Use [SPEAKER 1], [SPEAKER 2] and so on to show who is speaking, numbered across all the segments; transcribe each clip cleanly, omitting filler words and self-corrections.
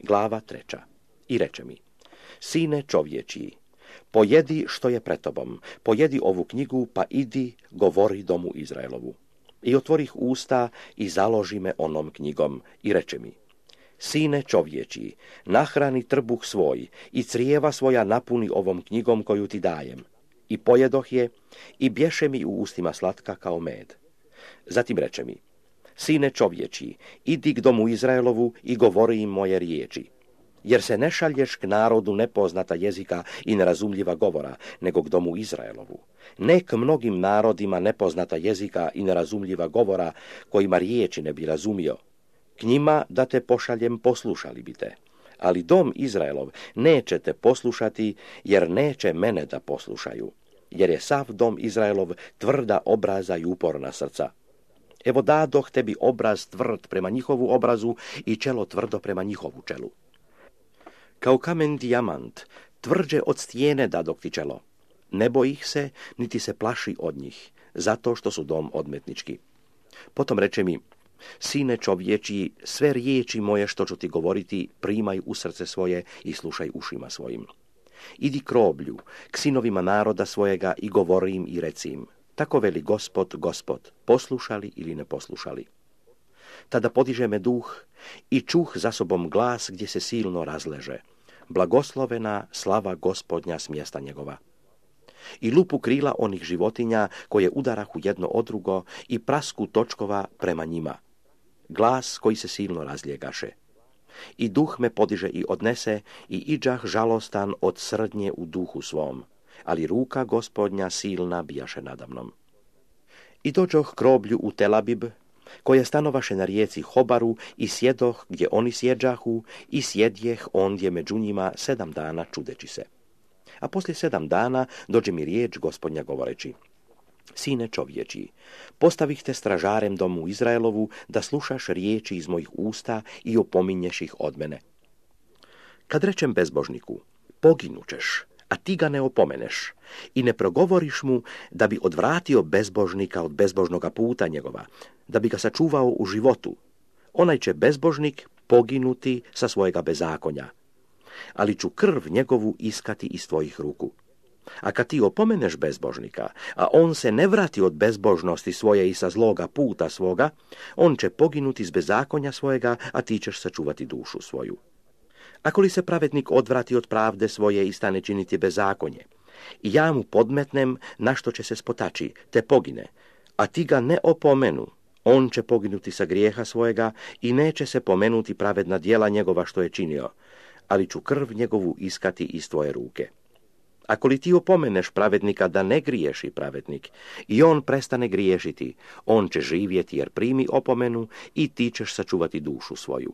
[SPEAKER 1] Glava 3. I reče mi: Sine čovječiji, pojedi što je pred tobom, pojedi ovu knjigu, pa idi, govori domu Izraelovu. I otvorih usta i založi me onom knjigom i reče mi: Sine čovječiji, nahrani trbuh svoj i crijeva svoja napuni ovom knjigom koju ti dajem. I pojedoh je i bješe mi u ustima slatka kao med. Zatim reče mi: Sine čovječiji, idi k domu Izraelovu i govori im moje riječi. Jer se ne šalješ k narodu nepoznata jezika i nerazumljiva govora, nego k domu Izraelovu. Ne k mnogim narodima nepoznata jezika i nerazumljiva govora, kojima riječi ne bi razumio. K njima da te pošaljem, poslušali bi te. Ali dom Izraelov neće te poslušati, jer neće mene da poslušaju. Jer je sav dom Izraelov tvrda obraza i uporna srca. Evo dadoh tebi obraz tvrd prema njihovu obrazu i čelo tvrdo prema njihovu čelu. Kao kamen dijamant, tvrđe od stijene dadok ti čelo. Ne boji ih se, niti se plaši od njih, zato što su dom odmetnički. Potom reče mi: Sine čovječiji, sve riječi moje što ću ti govoriti, primaj u srce svoje i slušaj ušima svojim. Idi k roblju, k sinovima naroda svojega i govori im i reci im: Tako veli Gospod, Gospod, poslušali ili ne poslušali. Tada podiže me duh i čuh za sobom glas gdje se silno razleže: Blagoslovena slava Gospodnja s mjesta njegova. I lupu krila onih životinja koje udarahu jedno od drugo i prasku točkova prema njima. Glas koji se silno razljegaše. I duh me podiže i odnese i iđah žalostan od srdnje u duhu svom, ali ruka Gospodnja silna bijaše nadamnom. I dođoh k roblju u Telabib, koje stanovaše na rijeci Hobaru, i sjedoh gdje oni sjeđahu i sjedjeh ondje među njima 7 dana čudeći se. A poslije 7 dana dođe mi riječ Gospodnja govoreći: Sine čovječiji, postavih te stražarem domu Izraelovu da slušaš riječi iz mojih usta i opominješ ih od mene. Kad rečem bezbožniku: Poginućeš, a ti ga ne opomeneš i ne progovoriš mu da bi odvratio bezbožnika od bezbožnoga puta njegova, da bi ga sačuvao u životu, onaj će bezbožnik poginuti sa svojega bezakonja, ali ću krv njegovu iskati iz tvojih ruku. A kad ti opomeneš bezbožnika, a on se ne vrati od bezbožnosti svoje i sa zloga puta svoga, on će poginuti iz bezakonja svojega, a ti ćeš sačuvati dušu svoju. Ako li se pravednik odvrati od pravde svoje i stane činiti bezakonje, i ja mu podmetnem na što će se spotači, te pogine, a ti ga ne opomenu, on će poginuti sa grijeha svojega i neće se pomenuti pravedna djela njegova što je činio, ali ću krv njegovu iskati iz tvoje ruke. Ako li ti opomeneš pravednika da ne griješi pravednik i on prestane griješiti, on će živjeti jer primi opomenu i ti ćeš sačuvati dušu svoju.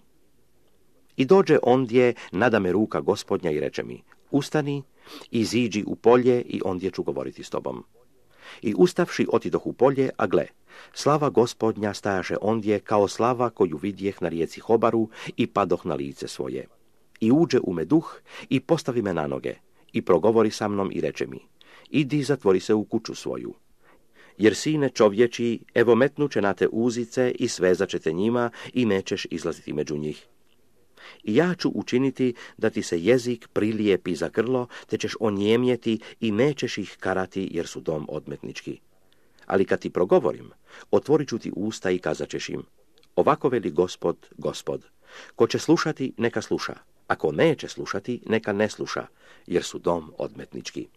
[SPEAKER 1] I dođe ondje nadame ruka Gospodnja i reče mi: Ustani, iziđi u polje i ondje ću govoriti s tobom. I ustavši otidoh u polje, a gle, slava Gospodnja stajaše ondje kao slava koju vidjeh na rijeci Hobaru i padoh na lice svoje. I uđe u me duh i postavi me na noge i progovori sa mnom i reče mi: Idi, zatvori se u kuću svoju. Jer sine čovječiji, evo metnuće na te uzice i svezaće te njima i nećeš izlaziti među njih. I ja ću učiniti da ti se jezik prilijepi za grlo, te ćeš onijemjeti i nećeš ih karati jer su dom odmetnički. Ali kad ti progovorim, otvorit ću ti usta i kazat ćeš im: Ovako veli Gospod, Gospod, ko će slušati, neka sluša, ako neće slušati, neka ne sluša, jer su dom odmetnički.